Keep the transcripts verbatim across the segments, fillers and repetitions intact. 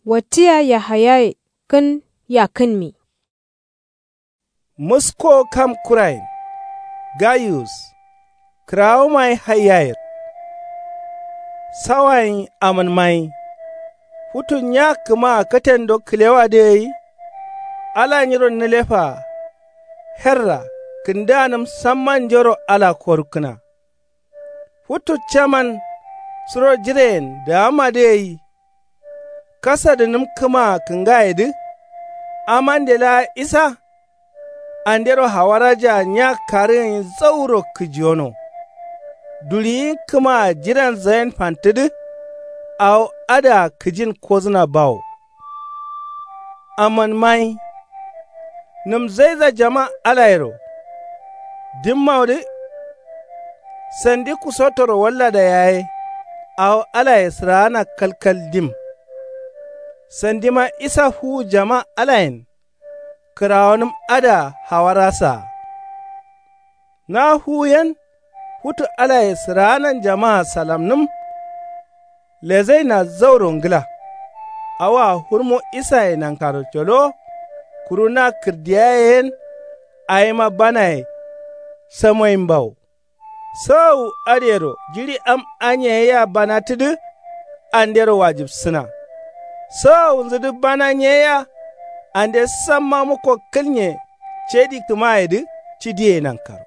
Wattiya yahayaye kǝn yakkǝnmi. Musko kam kurayen gayus kǝrawumaye haiyayero. Sawayen amǝnmaye futu nya kǝmaa katendo kǝlewadǝ gai. Ala nyiro nǝlefaa herra kǝndaanǝm samma njoro ala korukkǝna. Futu caman suro jireyen daamadǝ gai. Kasadǝnǝm kǝmaa kǝngayedǝ amande laa isa. Andero hawarajaa nya karǝgǝnyi zauro kǝjiyono. Duɍiyin kǝmaa jiren zayen fantǝdǝ. Awo adǝa kǝjin kozǝna bawo. Amanmayi nǝm zaiza jama alayero. Dimmaudǝ sandi kusotoro wallada yaye. Awo alaye sǝraana kalkal dim. Sandima isa fuwu jama alayen kǝrawonǝm adǝa hawara saa. Na fuwu yen futu alaye sǝraanan jamaa salamnǝm. Lezaina zauro ngla. Awoa fǝrmo isaye nankaro colowo. Kuru na kǝrdiyaye yen awima banaye samoyimbawo. Sawawu adǝyero jiɍi am anye yea banatǝdǝ. Andero wajibsǝna. Sawawunzǝdǝ bana nyeyea. Ande samma mukko kǝlnye cedi kǝmayedǝ cidiye nankaro.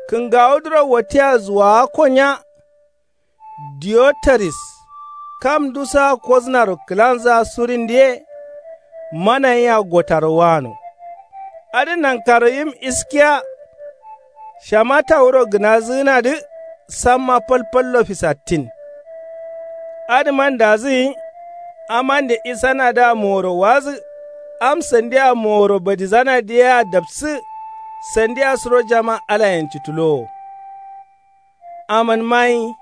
Kǝngawudǝro wattiya zuwawakko nya. Diyotaris kam ndusaa kosǝnaro kǝlanzǝa surindǝye. Manayia gotaro wano. Adǝ nankaro yim iskiya. Shamata wuro gǝnazǝgǝnadǝ samma falfallo fisattin. Adǝman dazǝgǝnyi amande isanadǝa moworo wazǝ. Am sandia moworo badizanadǝ yea dapsǝ. Sandia suro jama alayen cǝtǝlowo. Amanmayi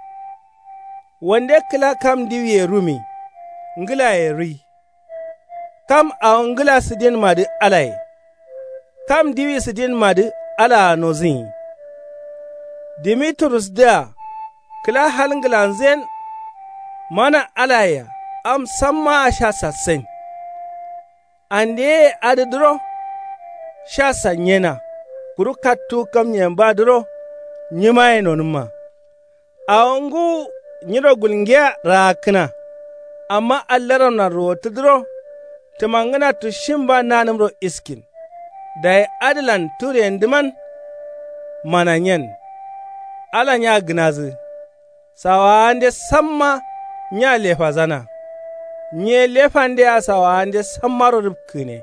wande kǝla kam ndiwiye rumi. Ngǝlaye rui kam awo ngǝla sǝdinmadǝ alaye. Kam ndiwi sǝdinmadǝ alaa nozǝnyi. Dimiturusdǝa kǝla hal ngǝlanzǝyen. Mana alayea am sammaa sha sassain. Andeyeye adǝdǝro sha sanyena. Kuru kattuwu kamnyeyembadǝro nyimaye nonǝmma. Awo ngǝwu nyiro gulngiya raakkǝna. Amma allaramlan ruwottǝdǝro tǝmangǝna tushimba nanǝmro iskin. Dayi adǝlan tureyendǝman mananyen. Ala nya gǝnazǝ sawaande samma nya lefazana. Nyiye lefandea sawaande sammaro rǝpkǝgǝne.